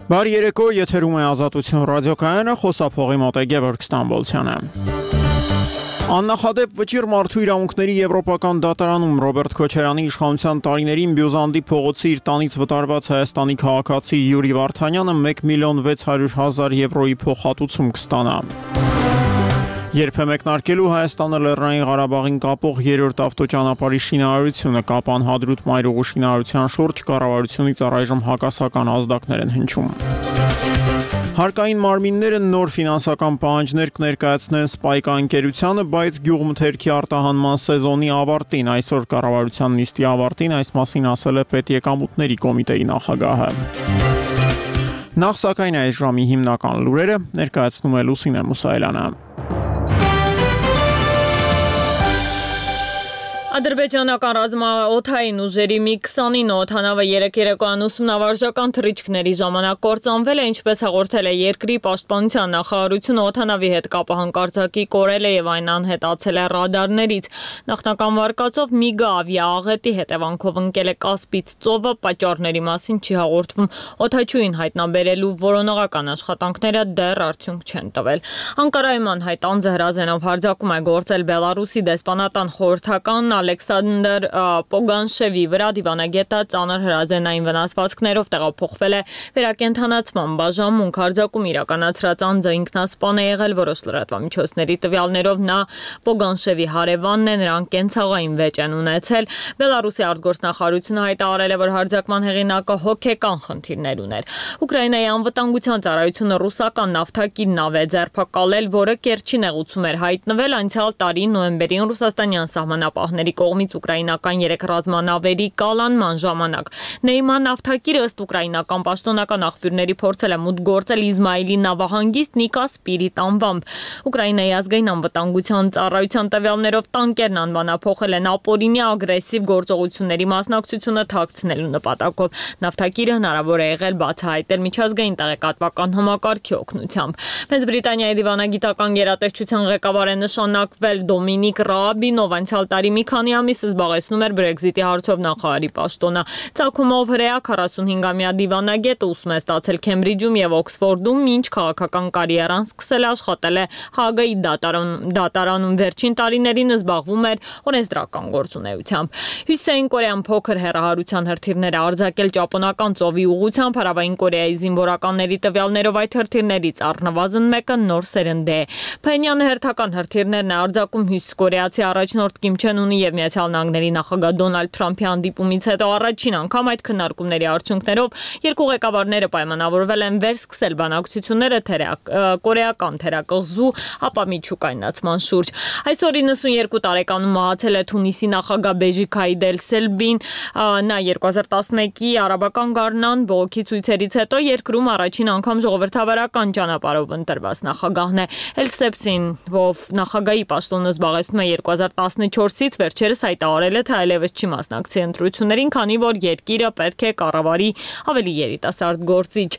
Բարի երեկո, եթերում է Ազատություն ռադիոկայանը, խոսափողի մոտ է Գևորգ Ստամբոլցյանը։ Աննախադեպ վճիռ մարդու իրավունքների եվրոպական դատարանում Ռոբերտ Քոչարյանի իշխանության տարիներին Բյուզանդի փողոցի իր տանից վտարված Հայաստանի քաղաքացի Յուրի Վարդանյանը 1.600.000 եվրոյի փոխհատուցում կստանա։ Երբ է մեկնարկելու Հայաստանը Լեռնային Ղարաբաղին կապող երրորդ ավտոճանապարհի շինարարությունը, Կապան Հադրութ մայրուղու շինարարության շուրջ կառավարությունից առայժմ հակասական ազդակներ են հնչում։ Հարկային մարմինները նոր ֆինանսական պահանջներ կներկայացնեն Սպայկա ընկերությանը, բայց գյուղմթերքի արտահանման սեզոնի ավարտին, այսօր կառավարության նիստի ավարտին այս մասին ասել է Պետեկամուտների կոմիտեի նախագահը։ Նախ սակայն այս ժամի հիմնական լուրերը ներկայացնում է Լուսինե Մուսայելյանը։ Ադրբեջանական ռազմաօդային ուժերի MiG-29 օդանավը երեկոյան ուսումնավարժական թռիչքների ժամանակ կործանվել է, ինչպես հաղորդել է երկրի պաշտպանության նախարարությունը, օդանավի հետ կապը հանկարծակի կորել է եւ այն անհետացել է ռադարներից։ Նախնական վարկածով MiG-ը ավիաաղետի հետևանքով ընկել է Կասպից ծովը, պատճառների մասին չի հաղորդվում։ Օդաչուին հայտնաբերելու որոնողական աշխատանքները դեռ արդյունք չեն տվել։ Անկարայում անհայտ անձը հրազենով հարձակում է գործել Բելարուսի դեսպանատան խորհրդական Ալեքսանդր Պոգանշևի վրա, դիվանագետը ծանր հրազենային վնասվածքներով տեղափոխվել է վերակենդանացման բաժանմունք։ Հարձակում իրականացրած անձը ինքնասպան է եղել, որոշ լրատվամիջոցների տվյալներով նա Պոգանշևի հարևանն է, նրանք կենցաղային վեճ են ունեցել։ Բելարուսի արտգործնախարարությունը հայտարարել է, որ հարձակման հեղինակը հոգեկան խնդիրներ ուներ։ Ուկրաինայի անվտանգության ծառայությունը ռուսական նավթակիր նավ է ձերբակալել, որը Կերչի նեղուցում էր հայտնվել անցյալ տարի նոյեմբերին ռուսաստանյան սահմանապահների կողմից ուկրաինական 3 ռազմանավերի կալանման ժամանակ։ Նեյման նավթակիրը ըստ ուկրաինական պաշտոնական աղբյուրների փորձել է մուտք գործել Իզմայիլի նավահանգիստ Նիկա Սպիրիտ անվամբ։ Ուկրաինայի ազգային անվտանգության ծառայության տվյալներով տանկերն անվանափոխել են ապօրինի ագրեսիվ գործողությունների մասնակցությունը թաքցնելու նպատակով։ Նավթակիրը հնարավոր է եղել բացահայտել միջազգային տեղեկատվական համակարգի օգնությամբ։ Մեծ Բրիտանիայի դիվանագիտական գերատեսչության ղեկավար է նշանակվել Դոմինիկ Ռաաբին, ով անցյալ տարի մի քանի ամիս զբաղեցնում էր Brexit-ի հարցով նախարարի պաշտոնը։ Ծագումով հրեա 45-ամյա դիվանագետը ուսում է ստացել Քեմբրիջում եւ Օքսֆորդում, մինչ քաղաքական կարիերան սկսել աշխատել է Հագայի դատարանում, վերջին տարիներին զբաղվում էր օրենսդրական գործունեությամբ։ Հյուսիսային Կորեան փոքր հեռահարության հրթիռներ է արձակել Ճապոնական ծովի ուղղությամբ, Հարավային Կորեայի զինվորականների տվյալներով այդ հրթիռներից առնվազն մեկը նոր սերնդի է։ Փենյանը հերթական հրթիռներն է արձակում հյուսիսկորեացի առաջնորդ Կիմ Չեն Ունի եւ Միացյալ Նահանգների նախագահ Դոնալդ Թրամփի հանդիպումից հետո առաջին անգամ այդ քննարկումների արդյունքներով երկու ղեկավարները պայմանավորվել են վերսկսել բանակցությունները կորեական թերակղզու ապա միջուկայնացման շուրջ։ Այսօր 92 տարեկանում մահացել է Թունիսի նախագահ Բեժի Քայիդ Էլ-Սելբին, նա 2011-ի արաբական գարնան բողոքի ցույցերից հետո երկրում առաջին անգամ ժողովրդավարական ճանապարհով ընտրված նախագահն է։ Էլ-Սելբին, ով նախագահի պաշտոնը զբաղեցնում է 2014-ից, վերջերս հայտարարել է, թե այլևս չի մասնակցի ընտրություններին, քանի որ երկիրը պետք է կառավարի ավելի երիտասարդ գործիչ։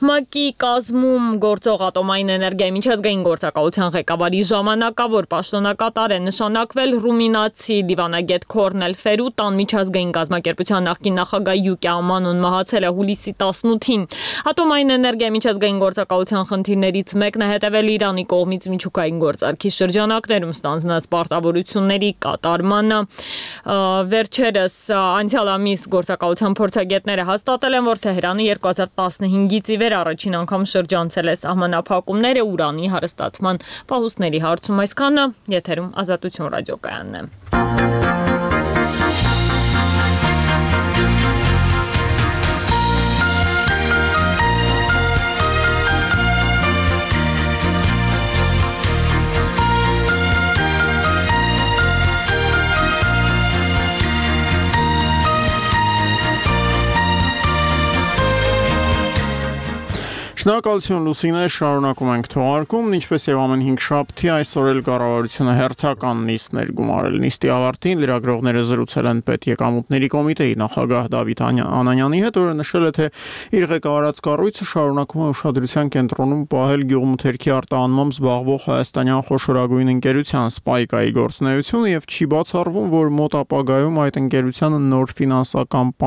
ՄԱԿ-ի կազմում գործող ատոմային էներգիայի միջազգային գործակալության ղեկավարի ժամանակավոր պաշտոնակատար է նշանակվել ռումինացի դիվանագետ Քորնել Ֆերուտան, միջազգային կազմակերպության նախկին նախագահ Յուկի Ամանուն մահացել է հուլիսի 18-ին։ Ատոմային էներգիայի միջազգային գործակալության խնդիրներից մեկն է հետևել Իրանի կողմից միջուկային գործարքի շրջանակներում ստանձնած պարտավորությունների կատարմանը։ Վերջերս անցյալ ամիս գործակալության փորձագետները հաստատել են, որ Թեհրանը 2015-ից ի վեր առաջին անգամ շրջանցել է սահմանափակումները ուրանի հարստացման պահուստների հարցում։ Այսքանը եթերում Ազատություն ռադիոկայանն է։ Շնորհակալություն Լուսինե, շարունակում ենք թողարկումն, ինչպես եւ ամեն 5 շաբթի այսօր էլ կառավարությունը հերթական նիստներ գումարել։ Նիստի ավարտին լրագրողները զրուցել են Պետեկամուտների կոմիտեի նախագահ Դավիթ Անանյանի հետ, որը նշել է, թե իր ղեկավարած կառույցը շարունակում է ուշադրության կենտրոնում պահել գյուղմթերքի արտահանմամբ զբաղվող հայաստանյան խոշորագույն ընկերության Սպայկայի գործունեությունը եւ չի բացառվում, որ մոտ ապագայում այդ ընկերությանը նոր ֆինանսական